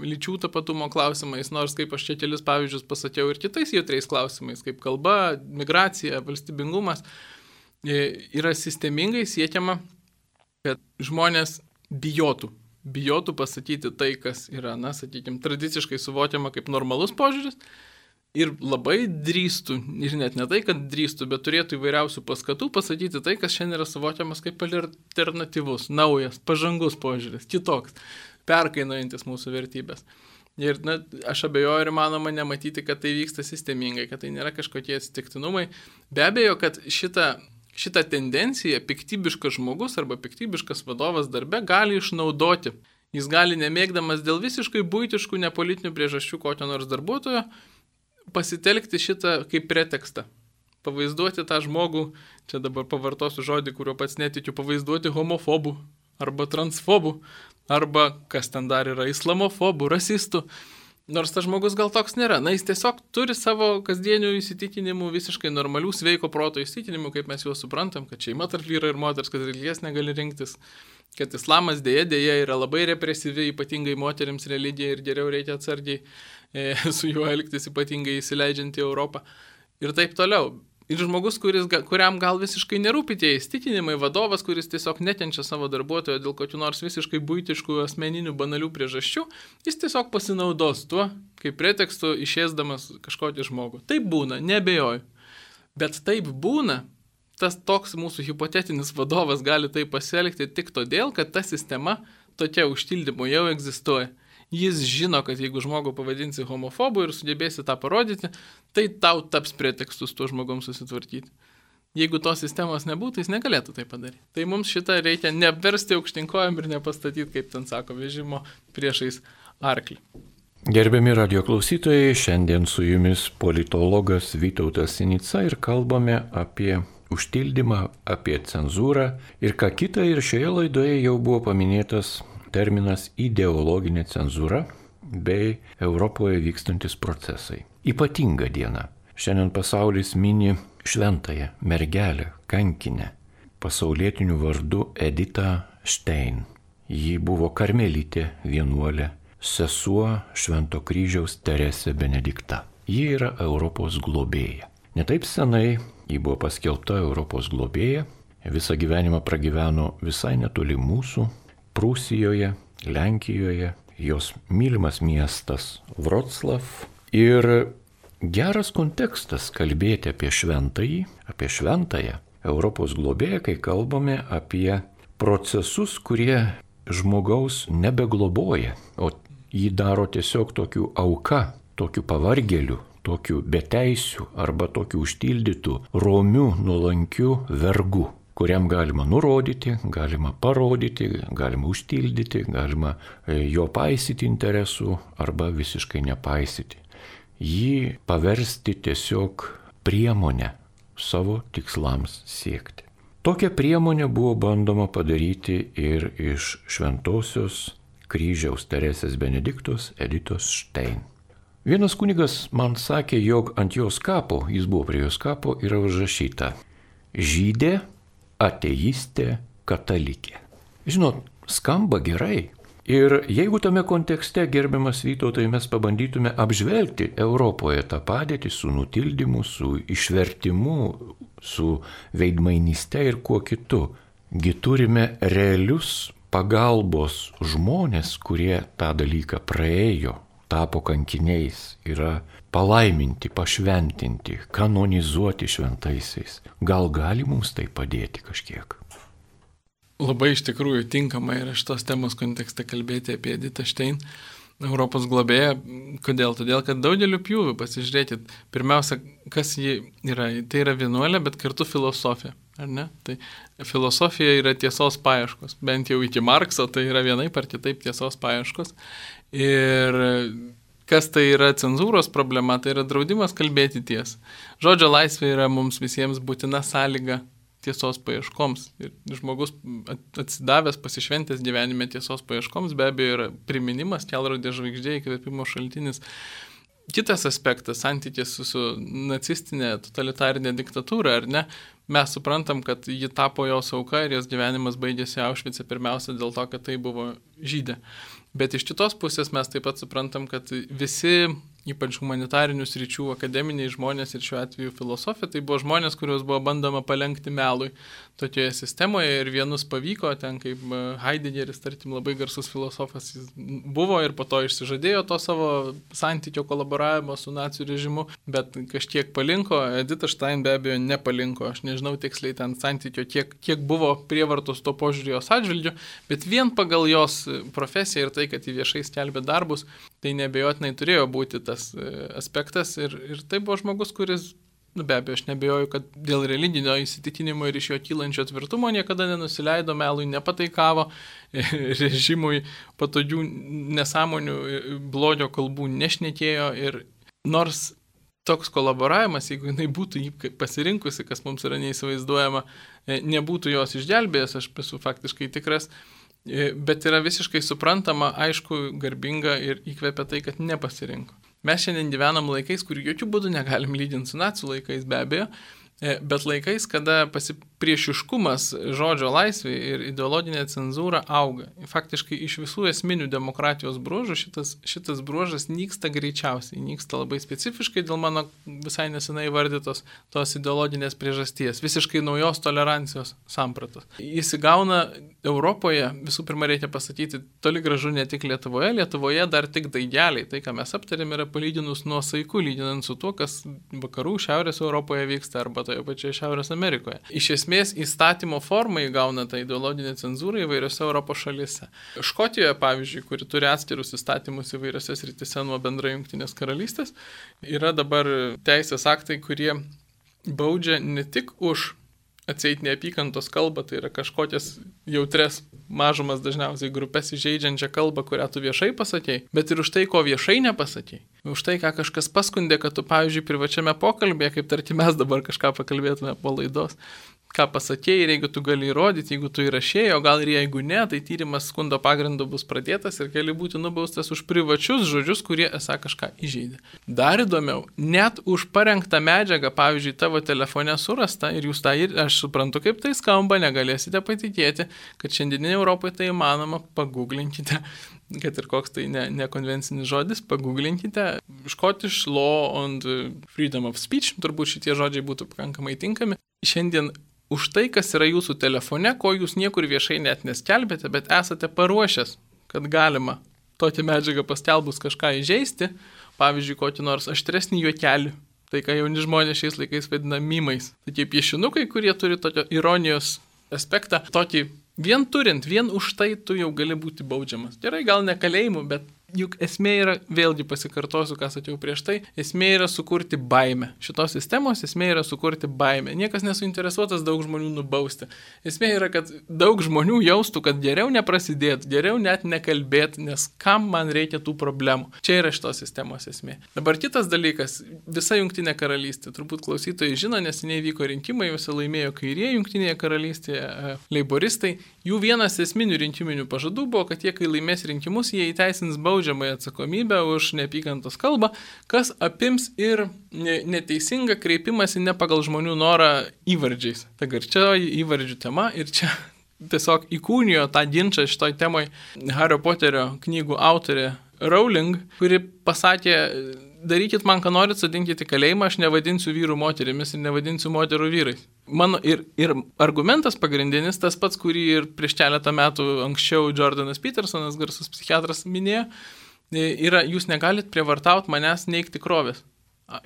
lyčių tapatumo klausimais, nors kaip aš čia kelis pavyzdžius pasakiau ir kitais jautriais klausimais, kaip kalba, migracija, valstybingumas, yra sistemingai siekiama, kad žmonės bijotų pasakyti tai, kas yra, sakykime, tradiciškai suvokiama kaip normalus požiūris ir labai drįstų, ir net ne tai, kad drįstų, bet turėtų įvairiausių paskatų pasakyti tai, kas šiandien yra suvokiamas kaip alternatyvus, naujas, pažangus požiūris, kitoks, perkainojantis mūsų vertybės. Ir aš abejoju ir manoma nematyti, kad tai vyksta sistemingai, kad tai nėra kažkokie atsitiktinumai. Be abejo, kad šitą tendenciją piktybiškas žmogus arba piktybiškas vadovas darbe gali išnaudoti. Jis gali, nemėgdamas dėl visiškai buitiškų, nepolitinių priežasčių kokio nors darbuotojo, pasitelkti šitą kaip pretekstą. Pavaizduoti tą žmogų, čia dabar pavartosiu žodį, kurio pats netikiu, pavaizduoti homofobų arba transfobų, arba kas ten dar yra, islamofobų, rasistų. Nors tas žmogus gal toks nėra. Jis tiesiog turi savo kasdienių įsitikinimų, visiškai normalių, sveiko proto įsitikinimų, kaip mes juos suprantam, kad šeima tarp vyro ir moters, kad religijas negali rinktis, kad islamas dėja yra labai represyvi, ypatingai moterims religija ir geriau reikia atsargiai su juo elgtis, ypatingai įsileidžiant į Europą ir taip toliau. Ir žmogus, kuriam gal visiškai nerūpi tie įsitikinimai, vadovas, kuris tiesiog nekenčia savo darbuotojo dėl kokių nors visiškai buitiškų, asmeninių, banalių priežasčių, jis tiesiog pasinaudos tuo, kaip pretekstu išėsdamas kažkokį žmogų. Taip būna, nebejoju. Bet taip būna, tas toks mūsų hipotetinis vadovas gali taip pasielgti tik todėl, kad ta sistema tokia užtildymo jau egzistuoja. Jis žino, kad jeigu žmogų pavadinsi homofobu ir sugebėsi tą parodyti, tai tau taps pretekstus tuo žmogum susitvarkyti. Jeigu tos sistemos nebūtų, jis negalėtų tai padaryti. Tai mums šitą reikia neapversti aukštinkojam ir nepastatyti, kaip ten sako, vežimo priešais arklį. Gerbiami radio klausytojai, šiandien su jumis politologas Vytautas Sinica ir kalbame apie užtildymą, apie cenzūrą ir ką kita, ir šioje laidoje jau buvo paminėtas terminas ideologinė cenzūra bei Europoje vykstantis procesai. Ypatinga diena. Šiandien pasaulis mini šventąją mergelę, kankinę, pasaulietiniu vardu Edita Stein. Ji buvo karmelitė, vienuolė, sesuo Švento kryžiaus Teresė Benedikta. Ji yra Europos globėja. Netaip senai ji buvo paskelbta Europos globėja, visą gyvenimą pragyveno visai netoli mūsų, Prūsijoje, Lenkijoje, jos mylimas miestas Vroclav. Ir geras kontekstas kalbėti apie šventąją Europos globėją, kai kalbame apie procesus, kurie žmogaus nebegloboja, o jį daro tiesiog tokių auka, tokių pavargėlių, tokių beteisių arba tokių užtildytų, romių, nuolankių vergų, kuriam galima nurodyti, galima parodyti, galima užtildyti, galima jo paisyti interesų arba visiškai nepaisyti. Jį paversti tiesiog priemonę savo tikslams siekti. Tokią priemonę buvo bandoma padaryti ir iš Šventosios kryžiaus Teresės Benediktos Editos Stein. Vienas kunigas man sakė, jog ant jos kapo, jis buvo prie jos kapo, yra užrašyta: žydė, ateistė, katalikė. Žinot, skamba gerai. Ir jeigu tame kontekste, gerbiamas Vytautai, mes pabandytume apžvelgti Europoje tą padėtį su nutildymu, su išvertimu, su veidmainyste ir kuo kitu, gi turime realius pagalbos žmonės, kurie tą dalyką praėjo, tapo kankiniais, yra palaiminti, pašventinti, kanonizuoti šventaisiais. Gal gali mums tai padėti kažkiek? Labai iš tikrųjų tinkama yra šitos temos kontekste kalbėti apie Editą Stein, Europos globėją. Kodėl? Todėl, kad daugeliu pjūvių, pasižiūrėkit, pirmiausia, kas ji yra. Tai yra vienuolė, bet kartu filosofija, ar ne? Tai filosofija yra tiesos paieškos, bent jau iki Markso, tai yra vienaip ar kitaip tiesos paieškos. Ir kas tai yra cenzūros problema, tai yra draudimas kalbėti tiesą. Žodžio laisvė yra mums visiems būtina sąlyga tiesos paieškoms. Ir žmogus atsidavęs, pasišventęs gyvenime tiesos paieškoms, be abejo yra priminimas, kelrodė žvaigždė, įkvėpimo šaltinis. Kitas aspektas, santykis su nacistinė totalitarinė diktatūra, ar ne? Mes suprantam, kad ji tapo jos auka ir jos gyvenimas baigėsi Aušvice pirmiausia dėl to, kad tai buvo žydė. Bet iš kitos pusės mes taip pat suprantam, kad visi, ypač humanitarinių sričių akademiniai žmonės ir šiuo atveju filosofija, tai buvo žmonės, kuriuos buvo bandoma palenkti melui tokioje sistemoje ir vienus pavyko, ten kaip Heideggeris, tarkim, labai garsus filosofas jis buvo ir po to išsižadėjo to savo santykio kolaboravimo su nacių režimu, bet kažkiek palinko, Edita Stein be abejo nepalinko, aš nežinau tiksliai ten santykio, kiek buvo prievartos to požiūrį jos atžvilgiu, bet vien pagal jos profesiją ir tai, kad jį viešai skelbė darbus, Tai neabejotinai turėjo būti tas aspektas ir tai buvo žmogus, kuris, be abejo, aš nebejoju, kad dėl religinio įsitikinimo ir iš jo kylančio tvirtumo niekada nenusileido, melui nepataikavo, režimui patogių nesąmonių, blogio kalbų nešnekėjo ir nors toks kolaboravimas, jeigu jinai būtų jį pasirinkusi, kas mums yra neįsivaizduojama, nebūtų jos išgelbėjęs, aš esu faktiškai tikras, bet yra visiškai suprantama, aišku, garbinga ir įkvepia tai, kad nepasirinko. Mes šiandien gyvenam laikais, kur jokių būdų negalim lyginti su nacių laikais, be abejo, bet laikais, kada priešiškumas žodžio laisvė ir ideologinė cenzūra auga. Faktiškai iš visų esminių demokratijos bruožų šitas bruožas nyksta greičiausiai, nyksta labai specifiškai dėl mano visai nesenai įvardytos tos ideologinės priežasties, visiškai naujos tolerancijos sampratos. Jis įgauna Europoje, visų pirma reikia pasakyti, toli gražu ne tik Lietuvoje dar tik daigeliai. Tai, ką mes aptarėm, yra palyginus nuosaiku, lyginant su tuo, kas vakarų Šiaurės Europoje vyksta arba toje pačioje Šiaurės Amerikoje. Iš esmės įstatymo formą įgauna tą ideologinę cenzūrą įvairiose Europos šalyse. Škotijoje, pavyzdžiui, kuri turi atskirus įstatymus įvairiose srityse nuo bendrai Jungtinės karalystės, yra dabar teisės aktai, kurie baudžia ne tik už atseit neapykantos kalbą, tai yra kažkokias jautres mažumas dažniausiai grupės įžeidžiančią kalbą, kurią tu viešai pasakėjai, bet ir už tai, ko viešai nepasakėjai. Už tai, ką kažkas paskundė, kad tu, pavyzdžiui, privačiame pokalbėje, kaip tarkim mes dabar kažką pakalbėtume po laidos, ką pasakėjai ir jeigu tu gali įrodyti, jeigu tu įrašėjai, o gal ir jeigu ne, tai tyrimas skundo pagrindu bus pradėtas ir gali būti nubaustas už privačius žodžius, kurie esą kažką įžeidė. Dar įdomiau, net už parengtą medžiagą, pavyzdžiui, tavo telefone surasta ir jūs tą ir aš suprantu, kaip tai skamba, negalėsite patikėti, kad šiandieninė Europoje tai įmanoma, paguglinkite, kad ir koks tai nekonvencinis žodis, paguglinkite Scottish Law on Freedom of Speech, turbūt šitie žodžiai būtų pakankamai tinkami. Šiandien už tai, kas yra jūsų telefone, ko jūs niekur viešai net neskelbėte, bet esate paruošęs, kad galima tokią medžiagą paskelbus kažką įžeisti, pavyzdžiui, kokį nors aštresnį juokelį, tai ką jauni žmonės šiais laikais vadina mimais. Tokie piešinukai, kurie turi tokio ironijos aspektą, tokį vien turint, vien už tai tu jau gali būti baudžiamas. Gerai, gal ne kalėjimu, bet juk esmė yra, vėlgi pasikartosiu, ką sakiau prieš tai, esmė yra sukurti baimę. Šitos sistemos esmė yra sukurti baimę. Niekas nesuinteresuotas daug žmonių nubausti. Esmė yra, kad daug žmonių jaustų, kad geriau neprasidėt, geriau net nekalbėt, nes kam man reikia tų problemų. Čia yra šitos sistemos esmė. Dabar kitas dalykas, visa Jungtinė karalystė, turbūt klausytojai žino, nes nevyko rinkimai, visi laimėjo kairieji Jungtinėje karalystėje, leiboristai. Jų vienas esminių rinkiminių pažadų buvo, kad jie, kai laimės rinkimus, jie įteisins baudžiamąją atsakomybę už neapykantos kalbą, kas apims ir neteisingą kreipimąsi ne pagal žmonių norą įvardžiais. Ta garčioji įvardžių tema ir čia tiesiog įkūnijo tą ginčą šitoj temoj Hario Poterio knygų autorė Rowling, kuri pasakė, darykit man, ką norit, sodinkit į kalėjimą, aš nevadinsiu vyrų moterimis ir nevadinsiu moterų vyrais. Mano ir argumentas pagrindinis, tas pats, kurį ir prieš keletą metų anksčiau Jordanas Petersonas, garsus psichiatras, minėjo, yra, jūs negalit prievartauti manęs neigti tikrovės.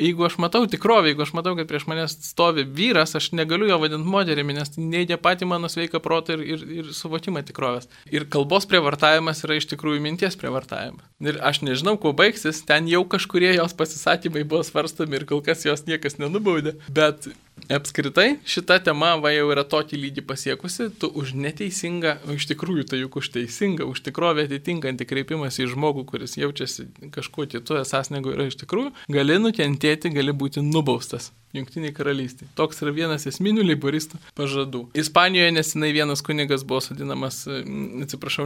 Jeigu aš matau tikrovę, jeigu aš matau, kad prieš manęs stovi vyras, aš negaliu jo vadinti moterimi, nes neigia patį mano sveiką protą ir suvokimą tikrovės. Ir kalbos prievartavimas yra iš tikrųjų minties prievartavimas. Ir aš nežinau, kuo baigsis, ten jau kažkurie jos pasisakymai buvo svarstomi ir kol kas jos niekas nenubaudė, bet apskritai šita tema va jau yra tokį lygį pasiekusi, tu už neteisingą, o iš tikrųjų tai juk už teisingą, už tikrovę atitinkantį kreipimąsi į žmogų, kuris jaučiasi kažkuo kitu esas negu yra iš tikrųjų, gali nukentėti, gali būti nubaustas. Jungtiniai karalystė. Toks yra vienas esminių leiboristų pažadų. Ispanijoje nesenai vienas kunigas buvo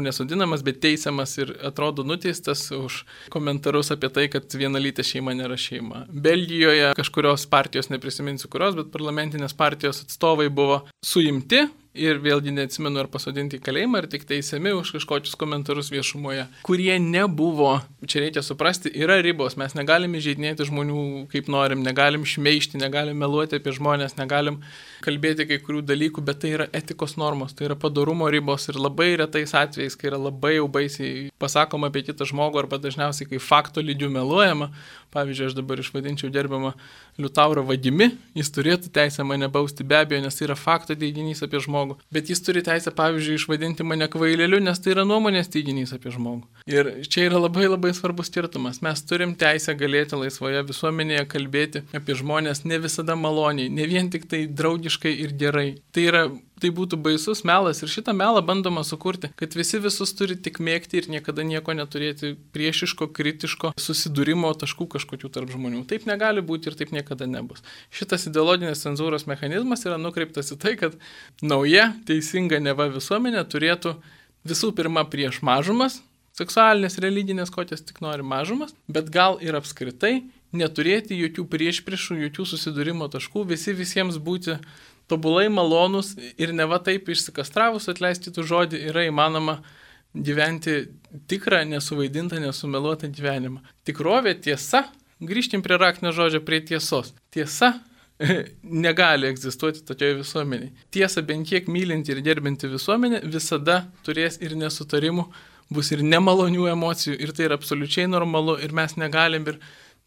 nesodinamas, bet teisiamas ir atrodo nuteistas už komentarus apie tai, kad vienalytė šeima nėra šeima. Belgijoje kažkurios partijos, neprisiminsiu kurios, bet parlamentinės partijos atstovai buvo suimti ir vėlgi neatsimenu ar pasodinti į kalėjimą, ar tik teisiami už kažkokius komentarus viešumoje, kurie nebuvo, čia reikia suprasti, yra ribos, mes negalim įžeidinėti žmonių kaip norim, negalim šmeižti, negalim meluoti apie žmonės, negalim kalbėti kai kurių dalykų, bet tai yra etikos normos, tai yra padorumo ribos ir labai retais atvejais, kai yra labai jau baisiai pasakoma apie kitą žmogų arba dažniausiai kai fakto lygių meluojama. Pavyzdžiui, aš dabar išvadinčiau gerbiamą Liutaurą vagimi, jis turėtų teisę mane bausti be abejo, nes tai yra fakto teiginys apie žmogų. žmogų, bet jis turi teisę, pavyzdžiui, išvadinti mane kvaileliu, nes tai yra nuomonės teiginys apie žmogų. Ir čia yra labai labai svarbus skirtumas. Mes turim teisę galėti laisvoje visuomenėje kalbėti apie žmonės ne visada maloniai, ne vien tik tai draugiškai ir gerai. Tai būtų baisus melas ir šitą melą bandoma sukurti, kad visi visus turi tik mėgti ir niekada nieko neturėti priešiško, kritiško susidūrimo taškų kažkokių tarp žmonių. Taip negali būti ir taip niekada nebus. Šitas ideologinės cenzūros mechanizmas yra nukreiptas į tai, kad nauja teisinga neva visuomenė turėtų visų pirma prieš mažumas, seksualinės, religinės, kokias tik nori mažumas, bet gal ir apskritai neturėti jokių priešpriešų, jokių susidūrimo taškų, visiems būti tobulai malonus ir neva taip išsikastravus, atleisti tų žodį, yra įmanoma gyventi tikrą, nesuvaidintą, nesumeluotą gyvenimą. Tikrovė, tiesa, grįžtim prie raktinio žodžio, prie tiesos. Tiesa negali egzistuoti tokioje visuomenėje. Tiesa, bent kiek mylinti ir gerbinti visuomenė, visada turės ir nesutarimų, bus ir nemalonių emocijų ir tai yra absoliučiai normalu ir mes negalim ir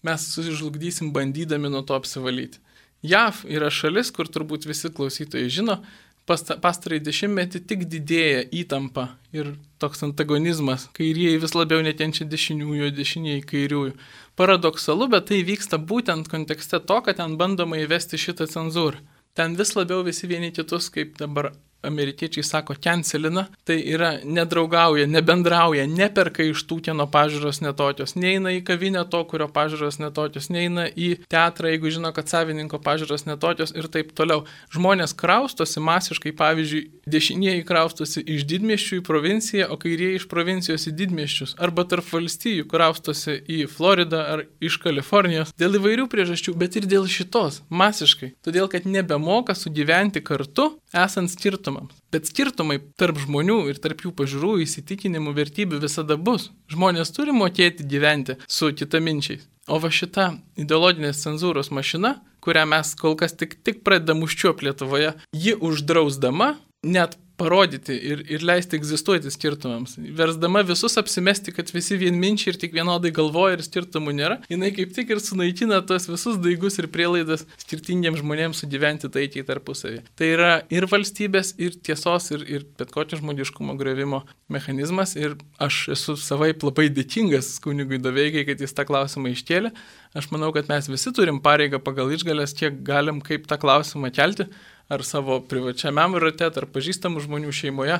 mes sužlugdysim bandydami nuo to apsivalyti. JAV yra šalis, kur turbūt visi klausytojai žino, pastarąjį dešimtmetį tik didėja įtampa ir toks antagonizmas, kairieji vis labiau nekenčia dešiniųjų, dešinieji kairiųjų. Paradoksalu, bet tai vyksta būtent kontekste to, kad ten bandoma įvesti šitą cenzūrą. Ten vis labiau visi vieni kitus, kaip dabar amerikiečiai sako, cancelina, tai yra nedraugauja, nebendrauja, neperka iš tų, kieno pažiūros netokios, neina į kavinę to, kurio pažiūros netokios, neina į teatrą, jeigu žino, kad savininko pažiūros netokios ir taip toliau. Žmonės kraustosi masiškai, pavyzdžiui, dešinieji kraustosi iš didmiesčių į provinciją, o kairieji iš provincijos į didmiesčius, arba tarp valstijų kraustosi į Floridą ar iš Kalifornijos, dėl įvairių priežasčių, bet ir dėl šitos, masiškai, todėl, kad nebemoka sugyventi kartu, esant skirtumams. Bet skirtumai tarp žmonių ir tarp jų pažiūrų, įsitikinimų, vertybių visada bus. Žmonės turi mokėti gyventi su kitaminčiais. O va šita ideologinės cenzūros mašina, kurią mes kol kas tik pradedam užčiuopti Lietuvoje, ji uždrausdama net parodyti ir leisti egzistuoti skirtumams. Versdama visus apsimesti, kad visi vienminčiai ir tik vienodai galvoja ir skirtumų nėra, jinai kaip tik ir sunaikina tos visus daigus ir prielaidas skirtingiems žmonėms sugyventi taikiai tarpusavį. Tai yra ir valstybės, ir tiesos, ir bet kokio žmogiškumo griovimo mechanizmas. Ir aš esu savaip labai dėkingas kunigui Doveikai, kad jis tą klausimą iškėlė. Aš manau, kad mes visi turim pareigą pagal išgalės, kiek galim kaip tą klausimą kelti. Ar savo privačiame rate, ar pažįstamų žmonių šeimoje,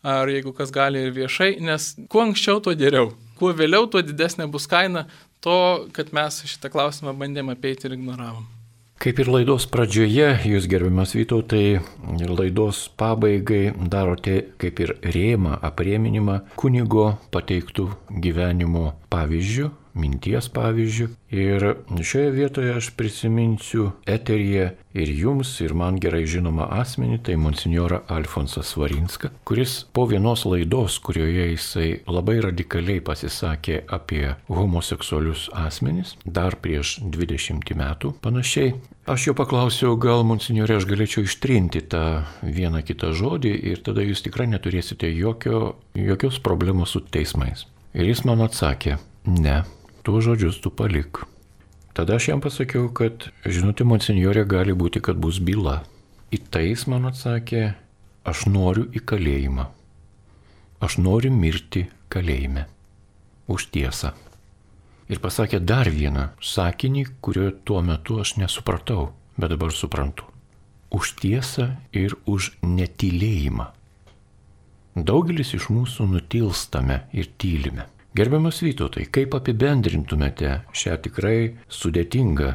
ar jeigu kas gali ir viešai, nes kuo anksčiau, tuo geriau. Kuo vėliau, tuo didesnė bus kaina to, kad mes šitą klausimą bandėm apeiti ir ignoravom. Kaip ir laidos pradžioje, jūs gerbiamas Vytautai, laidos pabaigai darote kaip ir rėmą, aprėminimą kunigo pateiktų gyvenimo pavyzdžių, minties pavyzdžių. Ir šioje vietoje aš prisiminsiu eteryje ir jums, ir man gerai žinomą asmenį, tai monsinjorą Alfonsą Svarinską, kuris po vienos laidos, kurioje jisai labai radikaliai pasisakė apie homoseksualius asmenis, dar prieš 20 metų panašiai. Aš jo paklausiau, gal monsinjorė aš galėčiau ištrinti tą vieną kitą žodį ir tada jūs tikrai neturėsite jokios problemos su teismais. Ir jis man atsakė, ne. Tuos žodžius tu palik. Tada aš jam pasakiau, kad, žinote, monsinjorė, gali būti, kad bus byla. Į tai jis man atsakė, aš noriu į kalėjimą. Aš noriu mirti kalėjime. Už tiesą. Ir pasakė dar vieną sakinį, kurio tuo metu aš nesupratau, bet dabar suprantu. Už tiesą ir už netylėjimą. Daugelis iš mūsų nutilstame ir tylime. Gerbiamas Vytautai, kaip apibendrintumėte šią tikrai sudėtingą,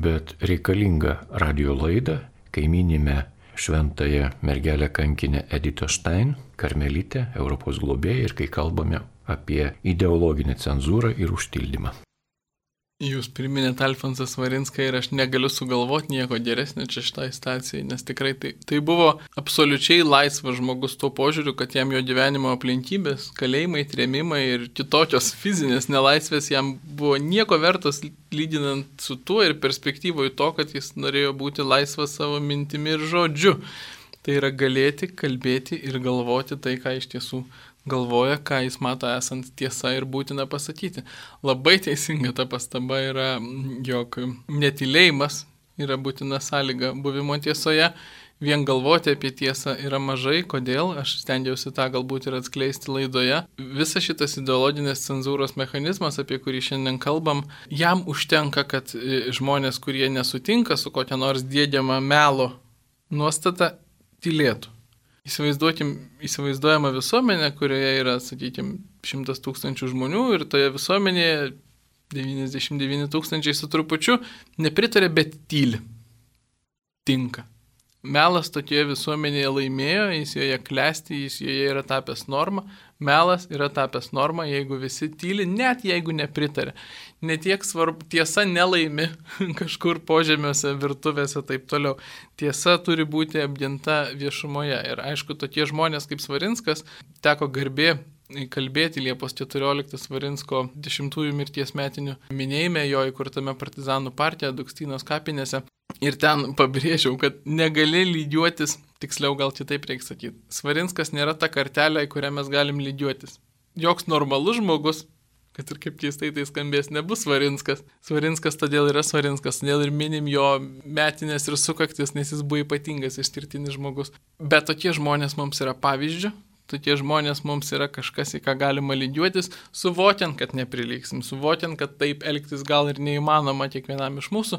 bet reikalingą radio laidą, kai minime šventąją mergelę kankinę Editą Stein, karmelitę, Europos globėją ir kai kalbame apie ideologinę cenzūrą ir užtildymą? Jūs priminėte Alfonsą Svarinską ir aš negaliu sugalvoti nieko geresnio čia šitai situacijai, nes tikrai tai buvo absoliučiai laisvas žmogus tuo požiūriu, kad jam jo gyvenimo aplinkybės, kalėjimai, trėmimai ir kitokios fizinės nelaisvės jam buvo nieko vertos lyginant su tuo ir perspektyvoje to, kad jis norėjo būti laisvas savo mintimi ir žodžiu. Tai yra galėti, kalbėti ir galvoti tai, ką iš tiesų galvoja, ką jis mato esant tiesa ir būtina pasakyti. Labai teisinga ta pastaba yra, jog netylėjimas yra būtina sąlyga buvimo tiesoje, vien galvoti apie tiesą yra mažai. Kodėl? Aš stengiausi tą galbūt ir atskleisti laidoje. Visas šitas ideologinės cenzūros mechanizmas, apie kurį šiandien kalbam, jam užtenka, kad žmonės, kurie nesutinka su kokia nors diegiama melo nuostata, tylėtų. Įsivaizduojama visuomenė, kurioje yra, sakykime, 100 000 žmonių ir toje visuomenėje 99 000 su trupučiu nepritarė, bet tyli. Tinka. Melas tokioje visuomenėje laimėjo, jis joje klesti, jis joje yra tapęs norma. Melas yra tapęs norma, jeigu visi tyli, net jeigu nepritarė. Netiek svarbu, tiesa nelaimi kažkur požemiuose, virtuvėse, taip toliau. Tiesa turi būti apginta viešumoje. Ir aišku, tokie žmonės kaip Svarinskas, teko garbė kalbėti Liepos 14 Svarinsko 10-ųjų mirties metinių minėjime jo įkurtame partizanų partija Dukstynos kapinėse. Ir ten pabrėžiau, kad negali lygiuotis, tiksliau gal kitaip reikia sakyti, Svarinskas nėra ta kartelė, į kurią mes galim lygiuotis. Joks normalus žmogus, kad ir kaip keistai tai skambės, nebus Svarinskas. Svarinskas todėl yra Svarinskas, todėl ir minim jo metinės ir sukaktis, nes jis buvo ypatingas, išskirtinis žmogus. Bet tokie žmonės mums yra pavyzdžių. Tokie žmonės mums yra kažkas, į ką galima lygiuotis, suvokiant, kad neprilygsim, suvokiant, kad taip elgtis gal ir neįmanoma kiekvienam iš mūsų,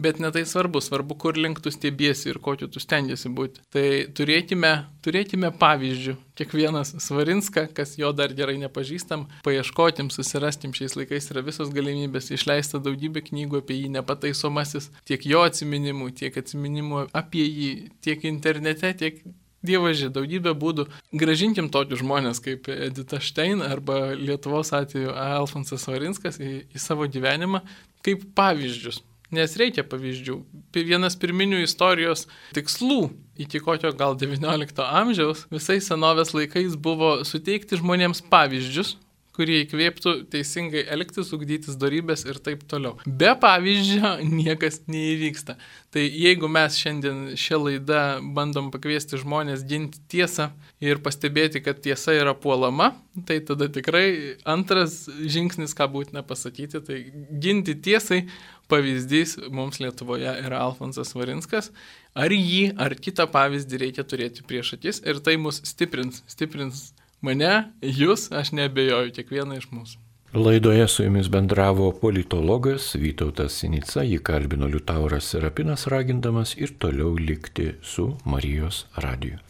bet netai svarbu, kur link tu stiebiesi ir kokiu tu stengiasi būti. Tai turėkime pavyzdžių, kiekvienas Svarinską, kas jo dar gerai nepažįstam, paieškotim, susirastim, šiais laikais yra visos galimybės, išleista daugybė knygų apie jį, nepataisomasis, tiek jo atsiminimų, tiek atsiminimų apie jį, tiek internete, tiek Dievaži, daugybė būdų. Gražinkim tokius žmonės kaip Edita Štein arba Lietuvos atveju Alfonsas Svarinskas į savo gyvenimą kaip pavyzdžius. Nes reikia pavyzdžių. Vienas pirminių istorijos tikslų iki kokio gal 19 amžiaus visais senovės laikais buvo suteikti žmonėms pavyzdžius, kurie įkvėptų teisingai elgtis, ugdytis dorybės ir taip toliau. Be pavyzdžio niekas neįvyksta. Tai jeigu mes šiandien šią laidą bandom pakviesti žmonės ginti tiesą ir pastebėti, kad tiesa yra puolama, tai tada tikrai antras žingsnis, ką būtina pasakyti, tai ginti tiesai pavyzdys mums Lietuvoje yra Alfonsas Svarinskas. Ar jį, ar kitą pavyzdį reikia turėti prieš akis ir tai mus stiprins mane, jūs, aš neabejoju, kiekvieną iš mūsų. Laidoje su jumis bendravo politologas Vytautas Sinica, jį kalbino Liutauras Serapinas, ragindamas ir toliau likti su Marijos radiju.